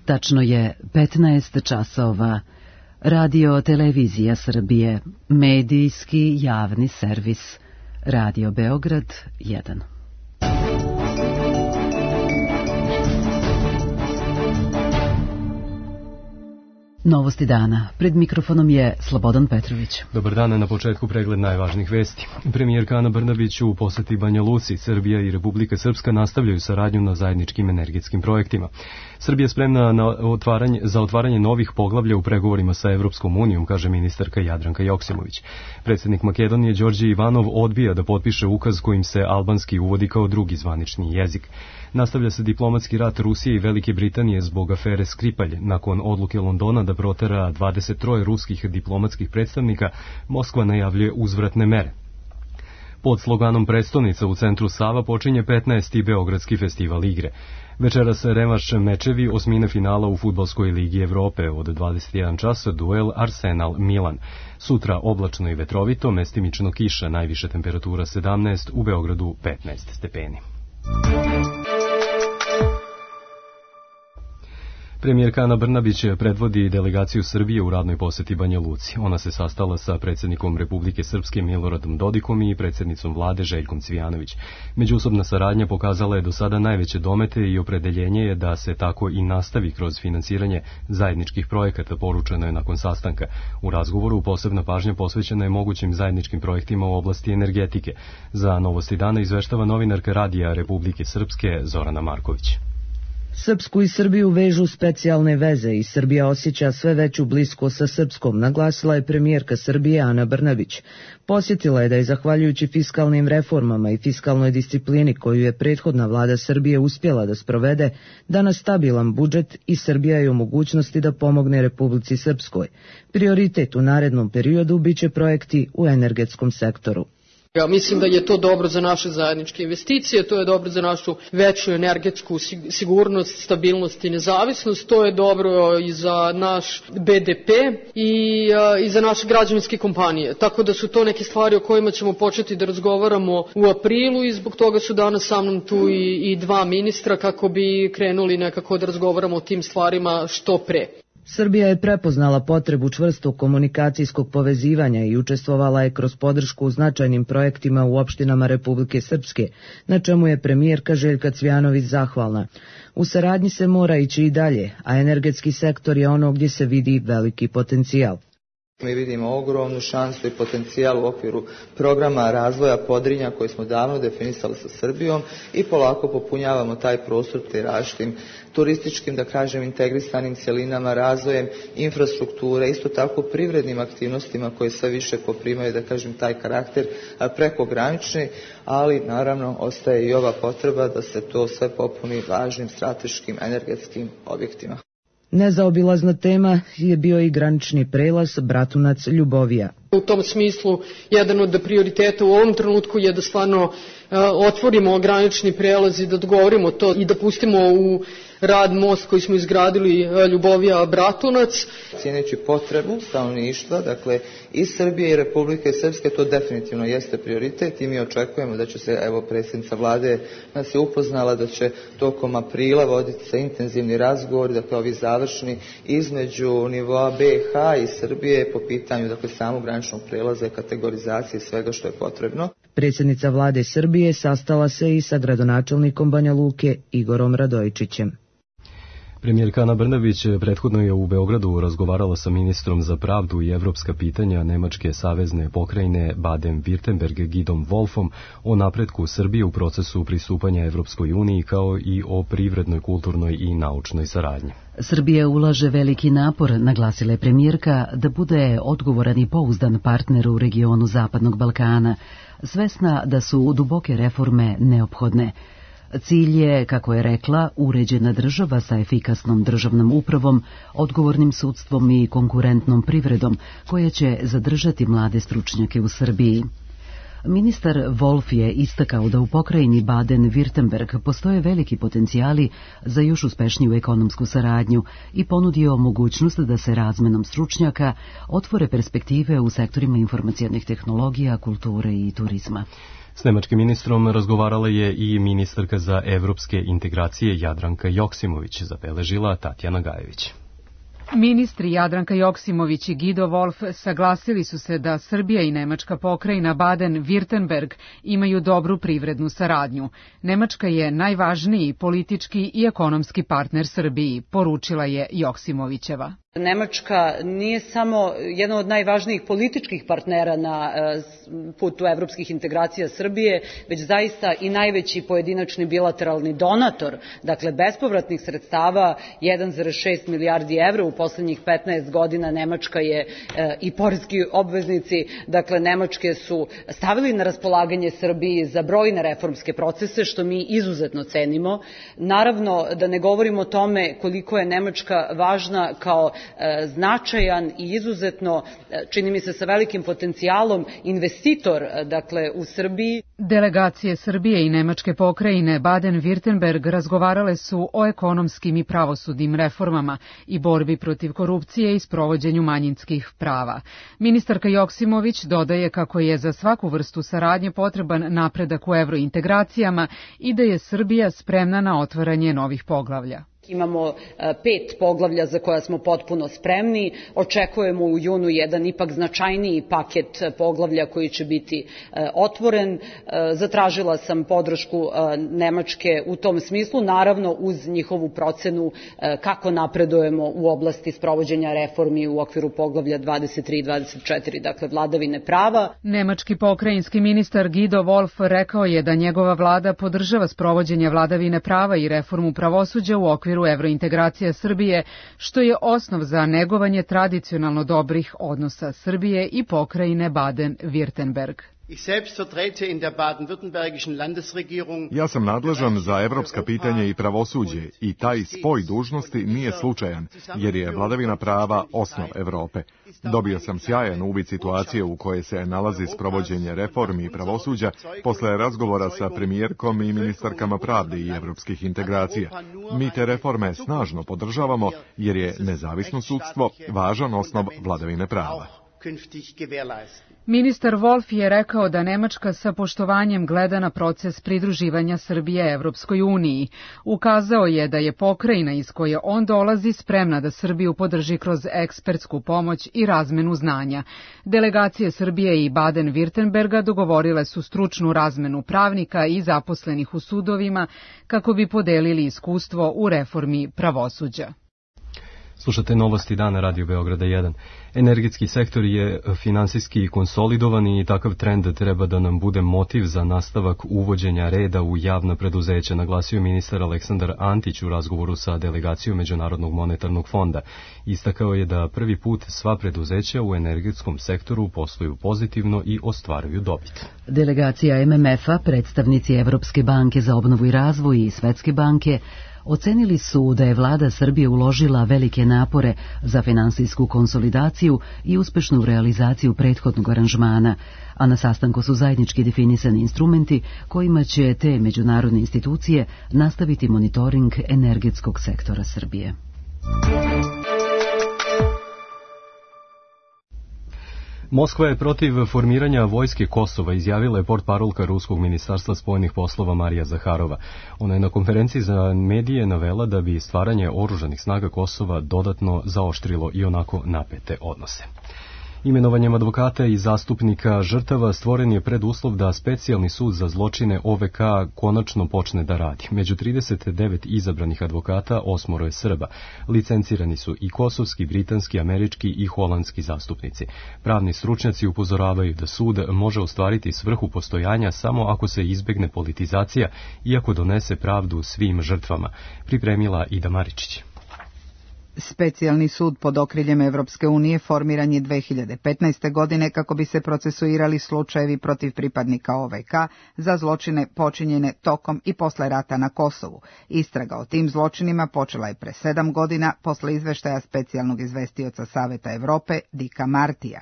Tačno je 15 časova. Radio Televizija Srbije, medijski javni servis. Radio Beograd 1. Novosti dana. Pred mikrofonom je Slobodan Petrović. Dobar dan, na početku pregled najvažnijih vesti. Premijerka Ana Brnabić u poseti Banja Luci, Srbija i Republika Srpska nastavljaju saradnju na zajedničkim energetskim projektima. Srbija je spremna za otvaranje novih poglavlja u pregovorima sa Evropskom unijom, kaže ministarka Jadranka Joksimović. Predsjednik Makedonije Đorđe Ivanov odbija da potpiše ukaz kojim se albanski uvodi kao drugi zvanični jezik. Nastavlja se diplomatski rat Rusije i Velike Britanije zbog afere Skripalj. Nakon odluke Londona da protera 23 ruskih diplomatskih predstavnika, Moskva najavljuje uzvratne mere. Pod sloganom Prestonica u centru Sava počinje 15. Beogradski festival igre. Večeras revanš mečevi osmine finala u Fudbalskoj ligi Evrope od 21 časa duel Arsenal-Milan. Sutra oblačno i vetrovito, mestimično kiša, najviše temperatura 17, u Beogradu 15 stepeni. Premijerka Ana Brnabić predvodi delegaciju Srbije u radnoj poseti Banja Luci. Ona se sastala sa predsjednikom Republike Srpske Miloradom Dodikom i predsjednicom vlade Željkom Cvijanović. Međusobna saradnja pokazala je do sada najveće domete i opredeljenje je da se tako i nastavi kroz finansiranje zajedničkih projekata, poručeno je nakon sastanka. U razgovoru posebna pažnja posvećena je mogućim zajedničkim projektima u oblasti energetike. Za Novosti dana izveštava novinarka Radija Republike Srpske Zorana Marković. Srpsku i Srbiju vežu specijalne veze i Srbija osjeća sve veću bliskost sa Srpskom, naglasila je premijerka Srbije Ana Brnabić. Posjetila je da je zahvaljujući fiskalnim reformama i fiskalnoj disciplini koju je prethodna vlada Srbije uspjela da sprovede, danas stabilan budžet i Srbija je u mogućnosti da pomogne Republici Srpskoj. Prioritet u narednom periodu biće projekti u energetskom sektoru. Ja mislim da je to dobro za naše zajedničke investicije, to je dobro za našu veću energetsku sigurnost, stabilnost i nezavisnost, to je dobro i za naš BDP i za naše građevinske kompanije. Tako da su to neke stvari o kojima ćemo početi da razgovaramo u aprilu i zbog toga su danas sa mnom tu i dva ministra kako bi krenuli nekako da razgovaramo o tim stvarima što pre. Srbija je prepoznala potrebu čvrstog komunikacijskog povezivanja i učestvovala je kroz podršku u značajnim projektima u opštinama Republike Srpske, na čemu je premijerka Željka Cvijanović zahvalna. U saradnji se mora ići i dalje, a energetski sektor je ono gdje se vidi veliki potencijal. Mi vidimo ogromnu šansu i potencijal u okviru programa razvoja Podrinja koji smo davno definisali sa Srbijom i polako popunjavamo taj prostor te različitim turističkim, da kažem, integrisanim cjelinama, razvojem infrastrukture, isto tako privrednim aktivnostima koje sve više poprimaju, da kažem, taj karakter prekogranični, ali naravno ostaje i ova potreba da se to sve popuni važnim strateškim energetskim objektima. Nezaobilazna tema je bio i granični prelaz Bratunac-Ljubovija. U tom smislu, jedan od prioriteta u ovom trenutku je da stvarno otvorimo granični prelaz i da dogovorimo to i da pustimo u rad most koji smo izgradili Ljubovija-Bratunac. Cijeneći potrebu stanovništva, dakle i Srbije i Republike Srpske, to definitivno jeste prioritet i mi očekujemo da će se, evo, predsjednica vlade nas je upoznala da će tokom aprila voditi se intenzivni razgovor, dakle ovi završni između nivoa BiH i Srbije po pitanju, dakle, samog graničnog prelaza i kategorizacije svega što je potrebno. Predsjednica vlade Srbije sastala se i sa gradonačelnikom Banja Luke Igorom Radojičićem. Premijerka Ana Brnabić prethodno je u Beogradu razgovarala sa ministrom za pravdu i evropska pitanja Nemačke savezne pokrajine Baden-Württemberg Gidom Wolfom o napretku Srbije u procesu pristupanja Evropskoj uniji kao i o privrednoj, kulturnoj i naučnoj saradnji. Srbija ulaže veliki napor, naglasila je premijerka, da bude odgovoran i pouzdan partner u regionu Zapadnog Balkana, svesna da su duboke reforme neophodne. Cilj je, kako je rekla, uređena država sa efikasnom državnom upravom, odgovornim sudstvom i konkurentnom privredom, koja će zadržati mlade stručnjake u Srbiji. Ministar Wolf je istakao da u pokrajini Baden-Württemberg postoje veliki potencijali za još uspešniju ekonomsku saradnju i ponudio mogućnost da se razmenom stručnjaka otvore perspektive u sektorima informacijonih tehnologija, kulture i turizma. S nemačkim ministrom razgovarala je i ministarka za evropske integracije Jadranka Joksimović, zabeležila Tatjana Gajević. Ministri Jadranka Joksimović i Guido Wolf saglasili su se da Srbija i nemačka pokrajina Baden-Württemberg imaju dobru privrednu saradnju. Nemačka je najvažniji politički i ekonomski partner Srbiji, poručila je Joksimovićeva. Nemačka nije samo jedan od najvažnijih političkih partnera na putu evropskih integracija Srbije, već zaista i najveći pojedinačni bilateralni donator, dakle bespovratnih sredstava 1,6 milijardi evra u poslednjih 15 godina. Nemačka je i poreski obveznici, dakle Nemačke su stavili na raspolaganje Srbiji za brojne reformske procese, što mi izuzetno cenimo. Naravno, da ne govorimo o tome koliko je Nemačka važna kao značajan i izuzetno, čini mi se sa velikim potencijalom, investitor, dakle, u Srbiji. Delegacije Srbije i nemačke pokrajine Baden-Württemberg razgovarale su o ekonomskim i pravosudnim reformama i borbi protiv korupcije i sprovođenju manjinskih prava. Ministarka Joksimović dodaje kako je za svaku vrstu saradnje potreban napredak u evrointegracijama i da je Srbija spremna na otvaranje novih poglavlja. Imamo 5 poglavlja za koja smo potpuno spremni. Očekujemo u junu jedan ipak značajniji paket poglavlja koji će biti otvoren. Zatražila sam podršku Nemačke u tom smislu, naravno uz njihovu procenu kako napredujemo u oblasti sprovođenja reformi u okviru poglavlja 23 i 24, dakle vladavine prava. Nemački pokrajinski ministar Guido Wolf rekao je da njegova vlada podržava sprovođenje vladavine prava i reformu pravosuđa u okviru evrointegracija Srbije, što je osnov za negovanje tradicionalno dobrih odnosa Srbije i pokrajine Baden-Württemberg. Ja sam nadležan za evropska pitanja i pravosuđe i taj spoj dužnosti nije slučajan, jer je vladavina prava osnov Evrope. Dobio sam sjajan uvid situacije u kojoj se nalazi sprovođenje reformi i pravosuđa posle razgovora sa premijerkom i ministarkama pravde i evropskih integracija. Mi te reforme snažno podržavamo jer je nezavisno sudstvo važan osnov vladavine prava. Ministar Wolf je rekao da Nemačka sa poštovanjem gleda na proces pridruživanja Srbije Evropskoj uniji. Ukazao je da je pokrajina iz koje on dolazi spremna da Srbiju podrži kroz ekspertsku pomoć i razmenu znanja. Delegacije Srbije i Baden-Württemberga dogovorile su stručnu razmenu pravnika i zaposlenih u sudovima kako bi podelili iskustvo u reformi pravosuđa. Slušate novosti dana Radio Beograda 1. Energetski sektor je finansijski konsolidovan i takav trend treba da nam bude motiv za nastavak uvođenja reda u javna preduzeća, naglasio ministar Aleksandar Antić u razgovoru sa delegacijom Međunarodnog monetarnog fonda. Istakao je da prvi put sva preduzeća u energetskom sektoru posluju pozitivno i ostvaruju dobit. Delegacija MMF-a, predstavnici Evropske banke za obnovu i razvoj i Svetske banke ocenili su da je vlada Srbije uložila velike napore za finansijsku konsolidaciju i uspešnu realizaciju prethodnog aranžmana, a na sastanku su zajednički definisani instrumenti kojima će te međunarodne institucije nastaviti monitoring energetskog sektora Srbije. Moskva je protiv formiranja vojske Kosova, izjavila je portparolka Ruskog ministarstva spoljnih poslova Marija Zaharova. Ona je na konferenciji za medije navela da bi stvaranje oružanih snaga Kosova dodatno zaoštrilo i onako napete odnose. Imenovanjem advokata i zastupnika žrtava stvoren je preduslov da specijalni sud za zločine OVK konačno počne da radi. Među 39 izabranih advokata 8 je Srba. Licencirani su i kosovski, britanski, američki i holandski zastupnici. Pravni stručnjaci upozoravaju da sud može ostvariti svrhu postojanja samo ako se izbegne politizacija i ako donese pravdu svim žrtvama, pripremila Ida Maričić. Specijalni sud pod okriljem Evropske unije formiran je 2015. godine kako bi se procesuirali slučajevi protiv pripadnika OVK za zločine počinjene tokom i posle rata na Kosovu. Istraga o tim zločinima počela je pre 7 godina posle izveštaja specijalnog izvestioca Saveta Evrope Dika Martija.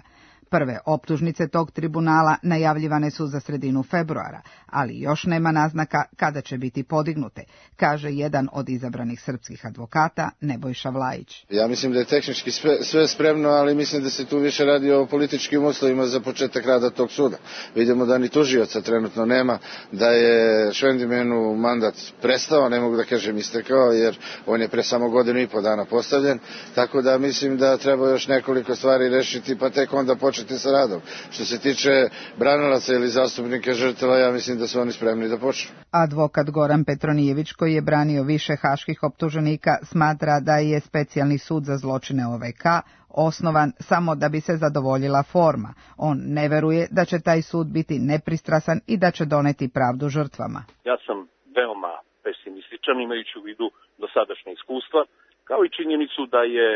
Prve optužnice tog tribunala najavljivane su za sredinu februara, ali još nema naznaka kada će biti podignute, kaže jedan od izabranih srpskih advokata Nebojša Vlajić. Ja mislim da je tehnički sve spremno, ali mislim da se tu više radi o političkim uslovima za početak rada tog suda. Vidimo da ni tužioca trenutno nema, da je Švendimenu mandat prestao, ne mogu da kažem istekao, jer on je pre samo 1.5 godina postavljen, tako da mislim da treba još nekoliko stvari rešiti, pa tek onda početi sa radom. Što se tiče branilaca ili zastupnika žrtava, ja mislim da su oni spremni da počnu. Advokat Goran Petronijević, koji je branio više haških optuženika, smatra da je specijalni sud za zločine OVK osnovan samo da bi se zadovoljila forma. On ne veruje da će taj sud biti nepristrasan i da će doneti pravdu žrtvama. Ja sam veoma pesimističan, imajući u vidu dosadašnje iskustva, kao i činjenicu da je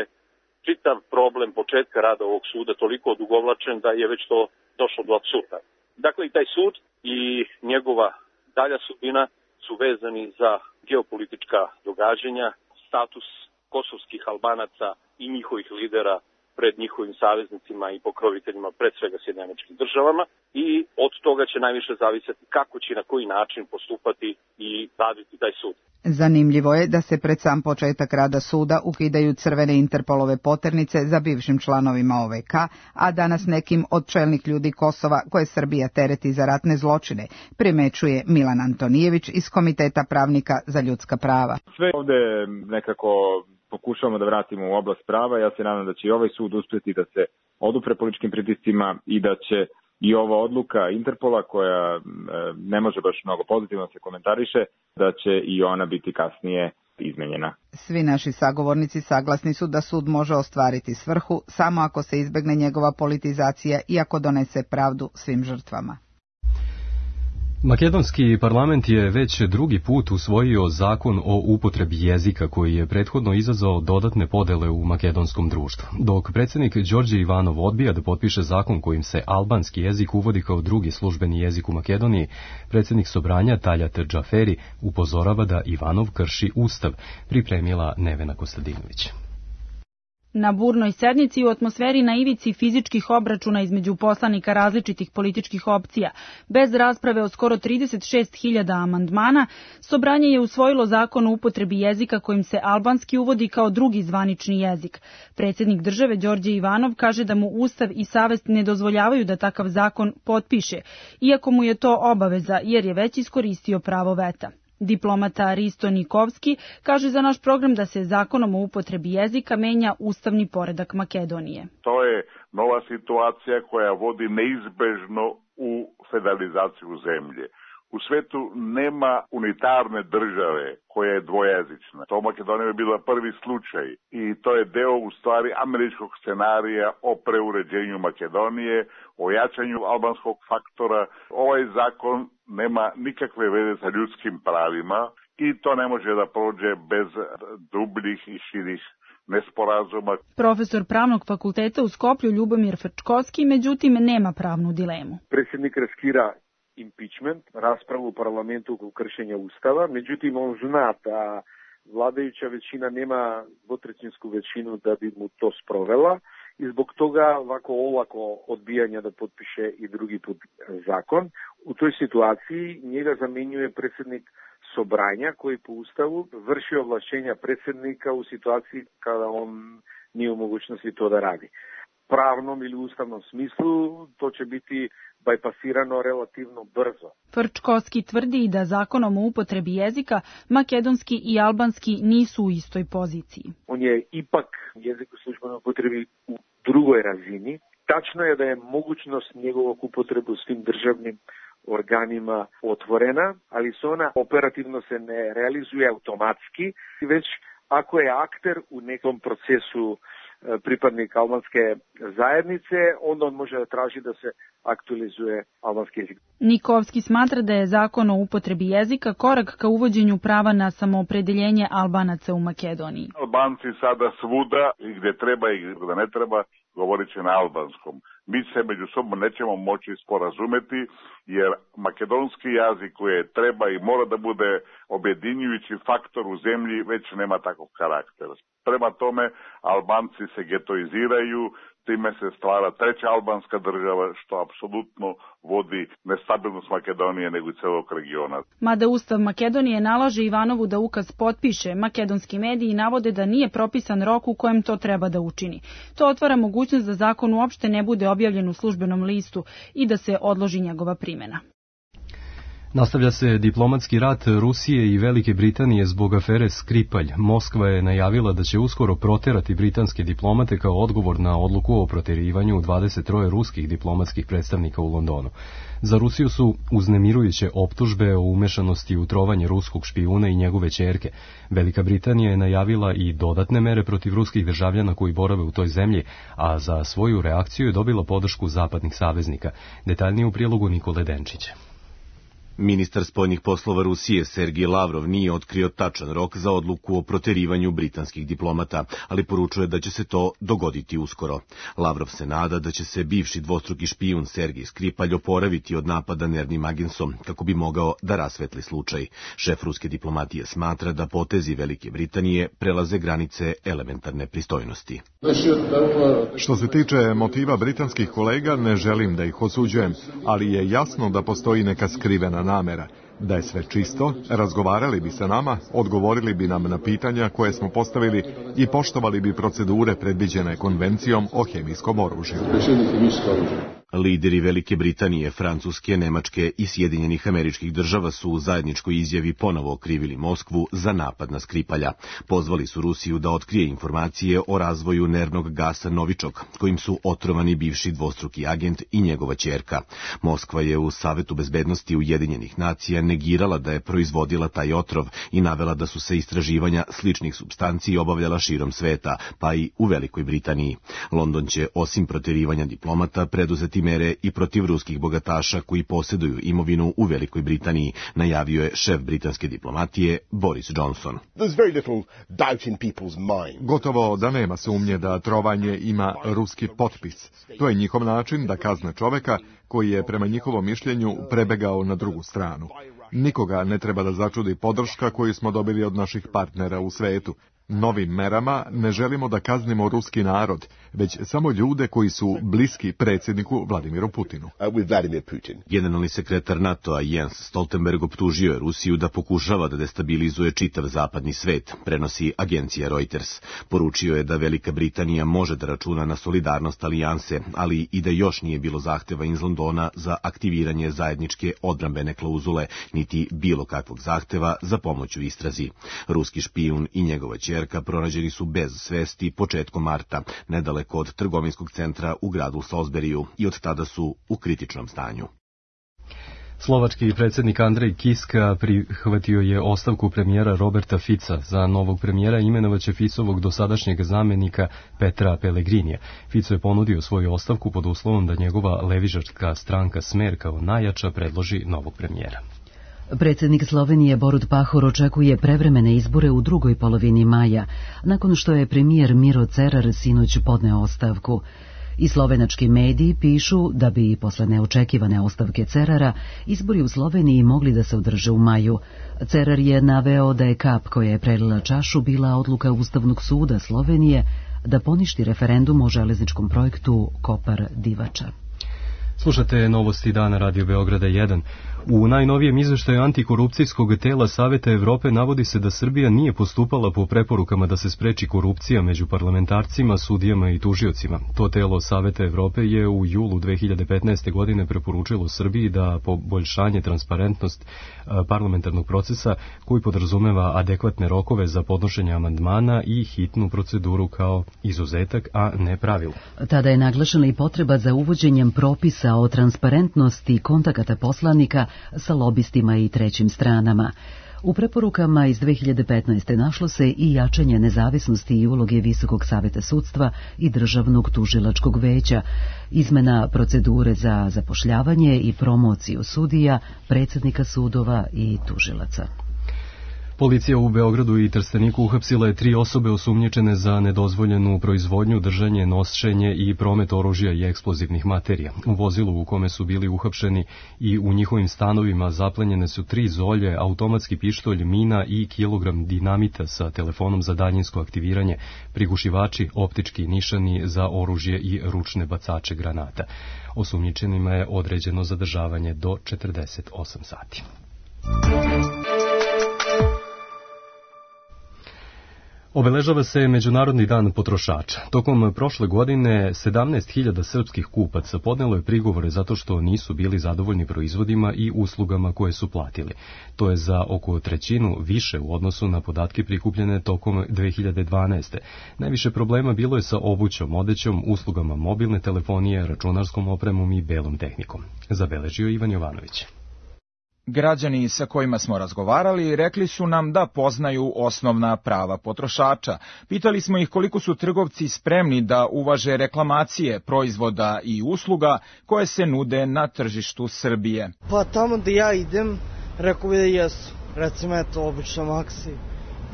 čitav problem početka rada ovog suda toliko odugovlačen da je već to došlo do apsurda. Dakle, i taj sud i njegova dalja sudbina su vezani za geopolitička događanja, status kosovskih Albanaca i njihovih lidera pred njihovim saveznicima i pokroviteljima, pred svega Sjedinjenim Američkim Državama, i od toga će najviše zavisati kako će i na koji način postupati i raditi taj sud. Zanimljivo je da se pred sam početak rada suda ukidaju crvene Interpolove poternice za bivšim članovima OVK, a danas nekim od čelnih ljudi Kosova koje Srbija tereti za ratne zločine, primećuje Milan Antonijević iz Komiteta pravnika za ljudska prava. Sve ovde nekako pokušavamo da vratimo u oblast prava. Ja se nadam da će i ovaj sud uspjeti da se odupre političkim pritiscima i da će i ova odluka Interpola, koja ne može baš mnogo pozitivno se komentariše, da će i ona biti kasnije izmenjena. Svi naši sagovornici saglasni su da sud može ostvariti svrhu samo ako se izbegne njegova politizacija i ako donese pravdu svim žrtvama. Makedonski parlament je već drugi put usvojio zakon o upotrebi jezika koji je prethodno izazvao dodatne podele u makedonskom društvu. Dok predsjednik Đorđe Ivanov odbija da potpiše zakon kojim se albanski jezik uvodi kao drugi službeni jezik u Makedoniji, predsjednik Sobranja Taljat Džaferi upozorava da Ivanov krši ustav, pripremila Nevena Kostadinović. Na burnoj sednici u atmosferi na ivici fizičkih obračuna između poslanika različitih političkih opcija, bez rasprave o skoro 36.000 amandmana, Sobranje je usvojilo zakon o upotrebi jezika kojim se albanski uvodi kao drugi zvanični jezik. Predsjednik države Đorđe Ivanov kaže da mu ustav i savest ne dozvoljavaju da takav zakon potpiše, iako mu je to obaveza jer je već iskoristio pravo veta. Diplomata Risto Nikovski kaže za naš program da se zakonom o upotrebi jezika menja ustavni poredak Makedonije. To je nova situacija koja vodi neizbežno u federalizaciju zemlje. U svetu nema unitarne države koja je dvojezična. To Makedonija je bila prvi slučaj i to je deo u stvari američkog scenarija o preuređenju Makedonije, o jačanju albanskog faktora. Ovaj zakon nema nikakve veze sa ljudskim pravima i to ne može da prođe bez dubljih i širih nesporazuma. Profesor pravnog fakulteta u Skoplju Ljubomir Frčkovski, međutim, nema pravnu dilemu. Predsjednik riskira impeachment, raspravu u parlamentu oko kršenja ustava, međutim on zna da vladajuća većina nema dvotrećinsku većinu da bi mu to sprovela i zbog toga ovako olako odbijanja da potpiše i drugi put zakon. U toj situaciji njega zamjenjuje predsjednik Sobranja koji po ustavu vrši ovlašćenja predsjednika u situaciji kada on nije u mogućnosti to da radi. Pravnom ili ustavnom smislu to će biti bajpasirano relativno brzo. Frčkovski tvrdi da zakonom o upotrebi jezika makedonski i albanski nisu u istoj poziciji. On je ipak jezik u službenoj upotrebi u drugoj razini. Tačno je da je mogućnost njegovog upotrebu u svim državnim organima otvorena, ali se ona operativno se ne realizuje automatski, već ako je akter u nekom procesu pripadnik albanske zajednice, onda on može da traži da se aktualizuje albanski jezik. Nikovski smatra da je zakon o upotrebi jezika korak ka uvođenju prava na samoopredeljenje Albanaca u Makedoniji. Albanci sada svuda, i gdje treba i gdje ne treba, govorit će na albanskom. mi se među sobom nećemo moći sporazumeti, jer makedonski jezik koji treba i mora da bude objedinjujući faktor u zemlji već nema takvog karaktera. Prema tome, Albanci se getoiziraju, time se stvara treća albanska država, što apsolutno vodi nestabilnost Makedonije nego i celog regiona. Mada Ustav Makedonije nalaže Ivanovu da ukaz potpiše, makedonski mediji navode da nije propisan rok u kojem to treba da učini. To otvara mogućnost da zakon uopšte ne bude objavljen u službenom listu i da se odloži njegova primjena. Nastavlja se diplomatski rat Rusije i Velike Britanije zbog afere Skripalj. Moskva je najavila da će uskoro proterati britanske diplomate kao odgovor na odluku o proterivanju 23 ruskih diplomatskih predstavnika u Londonu. Za Rusiju su uznemirujuće optužbe o umešanosti u trovanje ruskog špijuna i njegove ćerke. Velika Britanija je najavila i dodatne mere protiv ruskih državljana koji borave u toj zemlji, a za svoju reakciju je dobila podršku zapadnih saveznika. Detaljnije u prilogu Nikole Denčića. Ministar spoljnih poslova Rusije Sergij Lavrov nije otkrio tačan rok za odluku o proterivanju britanskih diplomata, ali poručuje da će se to dogoditi uskoro. Lavrov se nada da će se bivši dvostruki špijun Sergij Skripalj oporaviti od napada nervnim agensom kako bi mogao da rasvetli slučaj. Šef ruske diplomatije smatra da potezi Velike Britanije prelaze granice elementarne pristojnosti. Što se tiče motiva britanskih kolega, ne želim da ih osuđujem, ali je jasno da postoji neka skrivena namera. Da je sve čisto, razgovarali bi sa nama, odgovorili bi nam na pitanja koje smo postavili i poštovali bi procedure predviđene konvencijom o hemijskom oružju. Lideri Velike Britanije, Francuske, Nemačke i Sjedinjenih Američkih Država su u zajedničkoj izjavi ponovo okrivili Moskvu za napad na Skripalja. Pozvali su Rusiju da otkrije informacije o razvoju nervnog gasa Novičok, kojim su otrovani bivši dvostruki agent i njegova ćerka. Moskva je u Savetu bezbednosti Ujedinjenih nacija negirala da je proizvodila taj otrov i navela da su se istraživanja sličnih supstanci obavljala širom sveta, pa i u Velikoj Britaniji. London će, osim proterivanja diplomata, preduzeti mere i protiv ruskih bogataša koji posjeduju imovinu u Velikoj Britaniji, najavio je šef britanske diplomatije Boris Johnson. Gotovo da nema sumnje da trovanje ima ruski potpis. To je njihov način da kazne čoveka koji je prema njihovom mišljenju prebegao na drugu stranu. Nikoga ne treba da začudi podrška koju smo dobili od naših partnera u svetu. Novim merama ne želimo da kaznimo ruski narod, već samo ljude koji su bliski predsjedniku Vladimiru Putinu. Generalni sekretar NATO-a Jens Stoltenberg optužio je Rusiju da pokušava da destabilizuje čitav zapadni svet, prenosi agencija Reuters. Poručio je da Velika Britanija može da računa na solidarnost alijanse, ali i da još nije bilo zahteva iz Londona za aktiviranje zajedničke odbrambene klauzule, niti bilo kakvog zahteva za pomoć u istrazi. Ruski špijun i njegova ćerka pronađeni su bez svesti početkom marta, nedaleko od trgovinskog centra u gradu Salisburyu, i od tada su u kritičnom stanju. Slovački predsjednik Andrej Kiska prihvatio je ostavku premijera Roberta Fica. Za novog premijera imenovaće Ficovog dosadašnjeg zamjenika Petra Pellegrinija. Fico je ponudio svoju ostavku pod uslovom da njegova levičarska stranka Smer kao najjača predloži novog premijera. Predsjednik Slovenije Borut Pahor očekuje prevremene izbore u drugoj polovini maja, nakon što je premijer Miro Cerar sinoć podneo ostavku. I slovenački mediji pišu da bi posle neočekivane ostavke Cerara izbori u Sloveniji mogli da se održe u maju. Cerar je naveo da je kap koja je prelila čašu bila odluka Ustavnog suda Slovenije da poništi referendum o železničkom projektu Kopar-Divača. Slušate novosti dana Radio Beograda 1. U najnovijem izveštaju antikorupcijskog tela Saveta Evrope navodi se da Srbija nije postupala po preporukama da se spreči korupcija među parlamentarcima, sudijama i tužiocima. To telo Saveta Evrope je u julu 2015. godine preporučilo Srbiji da poboljšanje transparentnost parlamentarnog procesa koji podrazumeva adekvatne rokove za podnošenje amandmana i hitnu proceduru kao izuzetak, a ne pravilo. Tada je naglašena i potreba za uvođenjem propisa o transparentnosti kontakata poslanika sa lobistima i trećim stranama. U preporukama iz 2015. našlo se i jačanje nezavisnosti i uloge Visokog saveta sudstva i Državnog tužilačkog veća, izmena procedure za zapošljavanje i promociju sudija, predsjednika sudova i tužilaca. Policija u Beogradu i Trsteniku uhapsila je 3 osobe osumnjičene za nedozvoljenu proizvodnju, držanje, nošenje i promet oružja i eksplozivnih materija. U vozilu u kome su bili uhapšeni i u njihovim stanovima zaplenjene su 3 zolje, automatski pištolj, mina i kilogram dinamita sa telefonom za daljinsko aktiviranje, prigušivači, optički nišani za oružje i ručne bacače granata. Osumnjičenima je određeno zadržavanje do 48 sati. Obeležava se Međunarodni dan potrošača. Tokom prošle godine 17.000 srpskih kupaca podnelo je prigovore zato što nisu bili zadovoljni proizvodima i uslugama koje su platili. To je za oko 1/3 više u odnosu na podatke prikupljene tokom 2012. Najviše problema bilo je sa obućom, odećom, uslugama mobilne telefonije, računarskom opremom i belom tehnikom. Zabeležio Ivan Jovanović. Građani sa kojima smo razgovarali rekli su nam da poznaju osnovna prava potrošača. Pitali smo ih koliko su trgovci spremni da uvaže reklamacije proizvoda i usluga koje se nude na tržištu Srbije. Pa tamo da ja idem, rekao bi da jesu. Recimo, eto, obično Maxi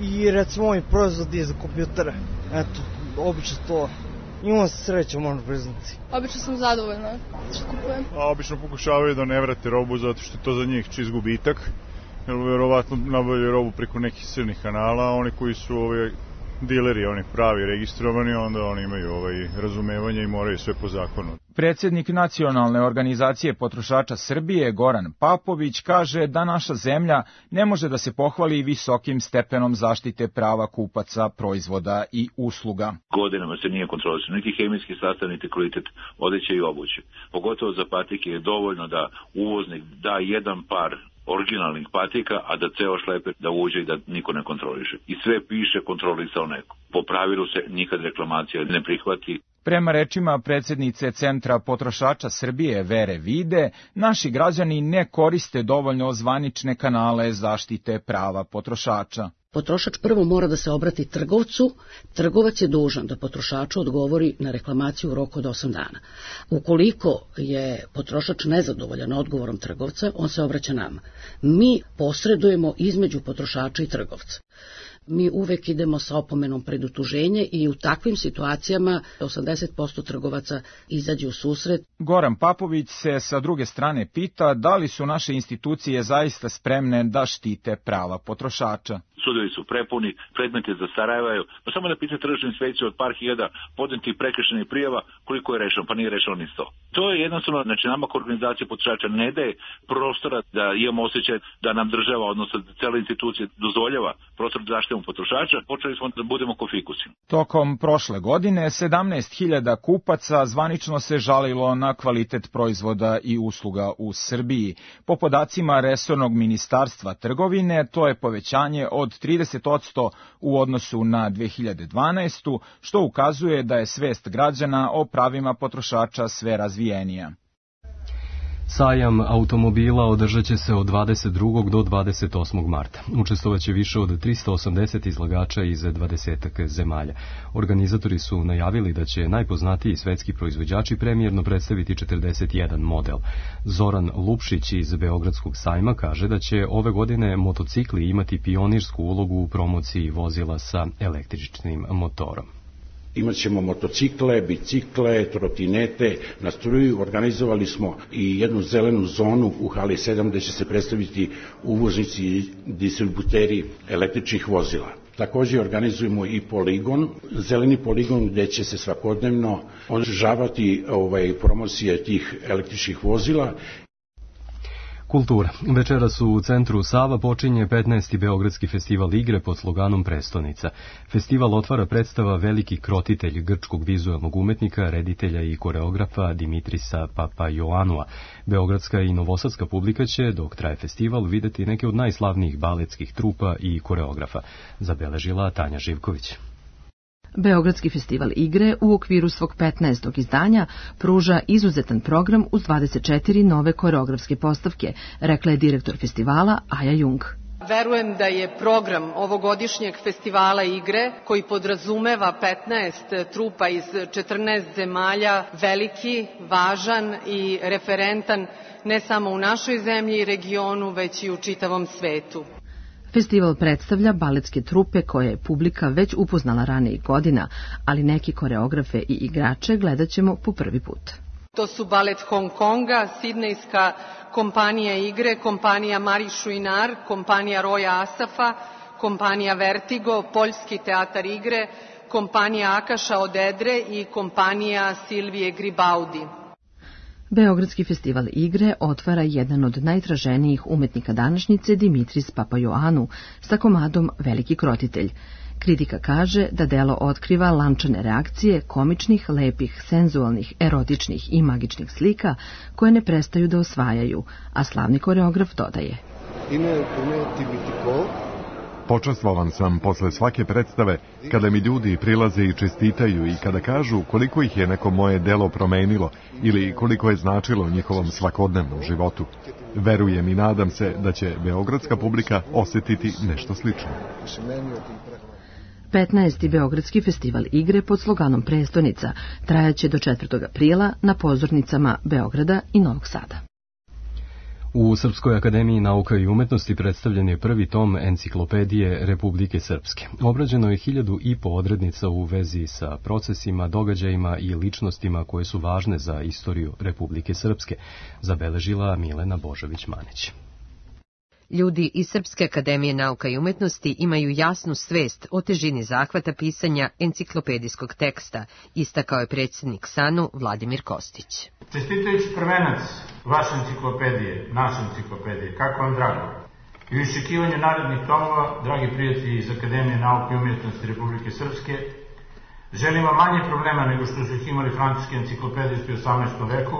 i recimo ovi proizvodi za kompjutere. Eto, obično to. Imamo se sreće, možemo priznati. Obično sam zadovoljna što kupujem. Obično pokušavaju da ne vrate robu zato što je to za njih čist gubitak. Jer verovatno nabavljaju robu preko nekih crnih kanala, a oni koji su dileri, oni pravi registrovani, onda oni imaju razumevanje i moraju sve po zakonu. Predsjednik Nacionalne organizacije potrošača Srbije, Goran Papović, kaže da naša zemlja ne može da se pohvali visokim stepenom zaštite prava kupaca, proizvoda i usluga. Godinama se nije kontrolisao niti hemijski sastav, niti kvalitet odeće i obuće. Pogotovo za patike je dovoljno da uvoznik da jedan par originalnih patika, a da ceo šleper da uđe i da niko ne kontroliše. I sve piše kontrolisao neko. Po pravilu se nikad reklamacija ne prihvati. Prema rečima predsjednice Centra potrošača Srbije Vere Vide, naši građani ne koriste dovoljno zvanične kanale zaštite prava potrošača. Potrošač prvo mora da se obrati trgovcu, trgovac je dužan da potrošaču odgovori na reklamaciju u roku od 8 dana. Ukoliko je potrošač nezadovoljan odgovorom trgovca, on se obraća nama. Mi posredujemo između potrošača i trgovca. Mi uvek idemo sa opomenom pred utuženje i u takvim situacijama 80% trgovaca izađe u susret. Goran Papović se sa druge strane pita da li su naše institucije zaista spremne da štite prava potrošača. Sudovi su prepuni, predmeti zastarevaju, pa samo da pita tržišnu inspekciju od par hiljada podnetih prekršajnih prijava koliko je rešeno, pa nije rešeno ni 100. To je jednostavno, znači nama kao organizacija potrošača ne daje prostora da imamo osjećaj da nam država, odnosno cela institucija dozvoljava prostor da zaštitimo potrošača, počeli smo da budemo ko fikusi. Tokom prošle godine 17.000 kupaca zvanično se žalilo na kvalitet proizvoda i usluga u Srbiji. Po podacima resornog ministarstva trgovine, to je povećanje od 30% u odnosu na 2012. što ukazuje da je svest građana o pravima potrošača sve razvijenija. Sajam automobila održat će se od 22. do 28. marta. Učestvovaće više od 380 izlagača iz 20 zemalja. Organizatori su najavili da će najpoznatiji svetski proizvođači premijerno predstaviti 41 model. Zoran Lupšić iz Beogradskog sajma kaže da će ove godine motocikli imati pionirsku ulogu u promociji vozila sa električnim motorom. Imaćemo motocikle, bicikle, trotinete, na struju. Organizovali smo i jednu zelenu zonu u hali 7 gde će se predstaviti uvoznici i distributeri električnih vozila. Također organizujemo i poligon, zeleni poligon gde će se svakodnevno održavati promocije tih električnih vozila. Kultura. Večeras u centru Sava počinje 15. Beogradski festival igre pod sloganom Prestonica. Festival otvara predstava Veliki krotitelj grčkog vizualnog umetnika, reditelja i koreografa Dimitrisa Papaioanua. Beogradska i novosadska publika će, dok traje festival, videti neke od najslavnijih baletskih trupa i koreografa, zabeležila Tanja Živković. Beogradski festival igre u okviru svog 15. izdanja pruža izuzetan program uz 24 nove koreografske postavke, rekla je direktor festivala Aja Jung. Verujem da je program ovogodišnjeg festivala igre, koji podrazumeva 15 trupa iz 14 zemalja, veliki, važan i referentan ne samo u našoj zemlji i regionu, već i u čitavom svetu. Festival predstavlja baletske trupe koje je publika već upoznala ranijih godina, ali neki koreografe i igrače gledat ćemo po prvi put. To su balet Hong Konga, sidnejska kompanija igre, kompanija Marie Chouinard, kompanija Roya Asafa, kompanija Vertigo, poljski teatar igre, kompanija Akaša Odedre i kompanija Silvije Gribaudi. Beogradski festival igre otvara jedan od najtraženijih umetnika današnjice, Dimitris Papaioannou, sa komadom Veliki krotitelj. Kritika kaže da delo otkriva lančane reakcije komičnih, lepih, senzualnih, erotičnih i magičnih slika koje ne prestaju da osvajaju, a slavni koreograf dodaje. Počastvovan sam posle svake predstave kada mi ljudi prilaze i čestitaju i kada kažu koliko ih je neko moje delo promenilo ili koliko je značilo njihovom svakodnevnom životu. Verujem i nadam se da će beogradska publika osetiti nešto slično. 15. Beogradski festival igre pod sloganom Prestonica trajaće do 4. aprila na pozornicama Beograda i Novog Sada. U Srpskoj akademiji nauka i umetnosti predstavljen je prvi tom enciklopedije Republike Srpske. Obrađeno je 1500 odrednica u vezi sa procesima, događajima i ličnostima koje su važne za istoriju Republike Srpske, zabeležila Milena Božović-Manić. Ljudi iz Srpske akademije nauka i umetnosti imaju jasnu svest o težini zahvata pisanja enciklopedijskog teksta, istakao je predsjednik SANU Vladimir Kostić. Čestitajući prvenac vaše enciklopedije, naše enciklopedije, kako vam drago, i u iščekivanju narednih tomova, dragi prijatelji iz Akademije nauke i umetnosti Republike Srpske, želim vam manje problema nego što su ih imali francuski enciklopedisti u 18. veku,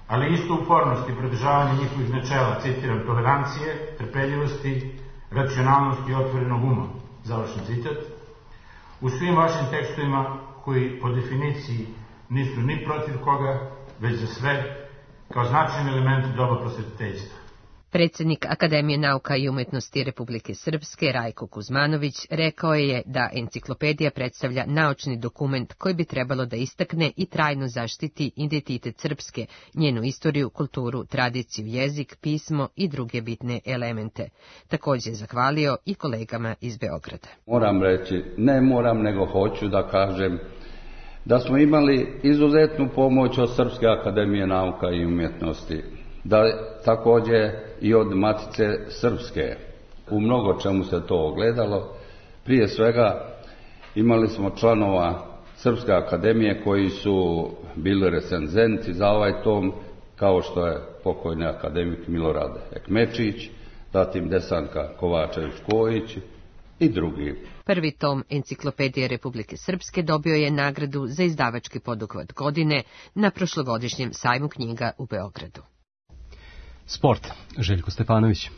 ali isto upornost i pridržavanje njihovih načela, citiram, tolerancije, trpeljivosti, racionalnosti i otvorenog uma, završen citat, u svim vašim tekstovima koji po definiciji nisu ni protiv koga, već za sve, kao značajan element doba prosvetiteljstva. Predsjednik Akademije nauka i umetnosti Republike Srpske, Rajko Kuzmanović, rekao je da enciklopedija predstavlja naučni dokument koji bi trebalo da istakne i trajno zaštiti identitet Srpske, njenu istoriju, kulturu, tradiciju, jezik, pismo i druge bitne elemente. Također je zahvalio i kolegama iz Beograda. Moram reći, ne moram nego hoću da kažem da smo imali izuzetnu pomoć od Srpske akademije nauka i umjetnosti, da također i od Matice Srpske. U mnogo čemu se to ogledalo. Prije svega imali smo članova Srpske akademije koji su bili recenzenti za ovaj tom, kao što je pokojni akademik Milorad Ekmečić, zatim Desanka Kovačević-Kojić i drugi. Prvi tom enciklopedije Republike Srpske dobio je nagradu za izdavački poduhvat godine na prošlogodišnjem sajmu knjiga u Beogradu. Sport. Željko Stefanović.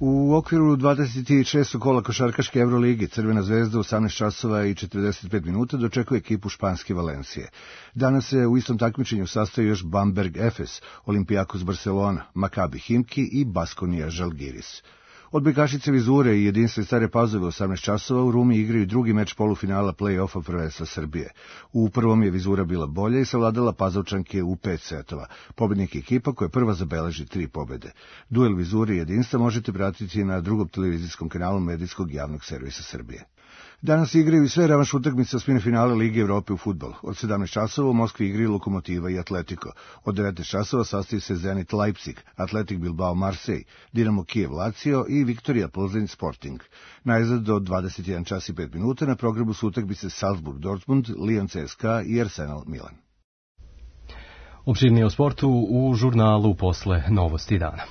U okviru 26. kola košarkaške Euroligi Crvena zvezda u 18 časova i 45 minuta dočekuje ekipu španske Valencije. Danas se u istom takmičenju sastoji još Bamberg Efes, Olympiakos Barcelona, Maccabi Himki i Baskonia Žalgiris. Odbojkašice Vizure i Jedinstve Stare Pazove u 18 časova u Rumi igraju drugi meč polufinala play-offa prvenstva Srbije. U prvom je Vizura bila bolja i savladala Pazovčanke u 5 setova. Pobednik ekipa koja prva zabeleži 3 pobede. Duel Vizure i Jedinstva možete pratiti na drugom televizijskom kanalu Medijskog javnog servisa Srbije. Danas igraju i sve revanš utakmice osmine finale Lige Evrope u fudbalu. Od 17 časova u Moskvi igraju Lokomotiva i Atletico. Od 19 časova sastoji se Zenit Leipzig, Atletik Bilbao Marseille, Dinamo Kijev Lazio i Viktorija Plzeň Sporting. Najzad do 21 čas i 5 minuta na programu su utakmice Salzburg Dortmund, Lyon CSKA i Arsenal Milan. Opširnije o sportu u žurnalu posle Novosti dana.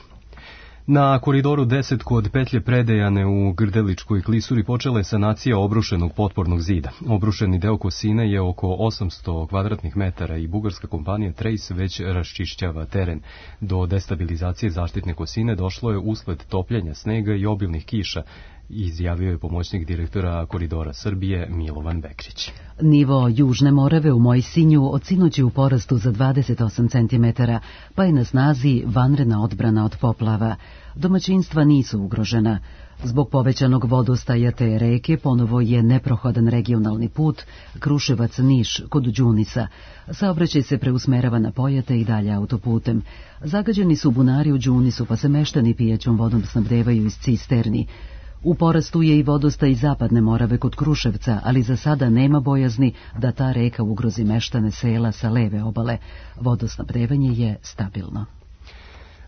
Na koridoru 10 kod petlje Predejane u Grdeličkoj klisuri počela je sanacija obrušenog potpornog zida. Obrušeni deo Kosine je oko 800 kvadratnih metara i bugarska kompanija Trace već raščišćava teren. Do destabilizacije zaštitne Kosine došlo je usled topljenja snega i obilnih kiša izjavio je pomoćnik direktora Koridora Srbije Milovan Bekrić. Nivo Južne Morave u Mojsinju od sinoć je u porastu za 28 cm, pa je na snazi vanredna odbrana od poplava. Domaćinstva nisu ugrožena. Zbog povećanog vodostaja te reke ponovo je neprohodan regionalni put Kruševac-Niš kod Đunisa. Saobraćaj se preusmerava na Pojate i dalje autoputem. Zagađeni su bunari u Đunisu, pa se meštani pijaćom vodom snabdevaju iz cisterni. U porastu je i vodostaj Zapadne Morave kod Kruševca, ali za sada nema bojazni da ta reka ugrozi meštane sela sa leve obale. Vodosnabdevanje je stabilno.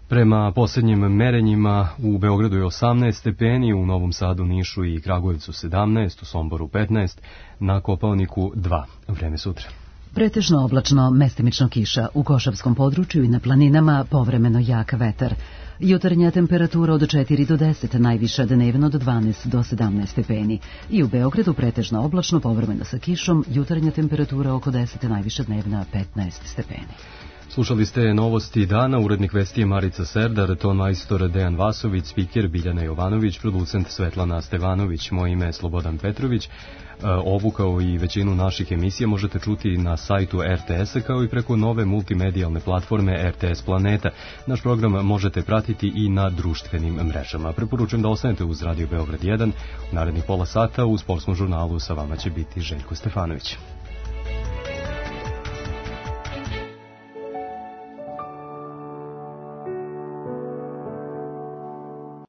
Prema posljednjim merenjima u Beogradu je 18 stepeni, u Novom Sadu, Nišu i Kragujevcu 17, u Somboru 15, na Kopaoniku 2. Vreme sutra. Pretežno oblačno, mestimično kiša, u Košavskom području i na planinama povremeno jak vetar. Jutarnja temperatura od 4 do 10, najviša dnevno do 12 do 17 stepeni. I u Beogradu pretežno oblačno, povremeno sa kišom, jutarnja temperatura oko 10, najviša dnevna 15 stepeni. Slušali ste novosti dana, urednik vesti je Marica Serdar, ton majstor Dejan Vasović, spiker Biljana Jovanović, producent Svetlana Stevanović, moje ime je Slobodan Petrović. Ovu kao i većinu naših emisija možete čuti na sajtu RTS-a kao i preko nove multimedijalne platforme RTS Planeta. Naš program možete pratiti i na društvenim mrežama. Preporučujem da ostanete uz Radio Beograd 1. U narednih pola sata u sportskom žurnalu sa vama će biti Željko Stefanović.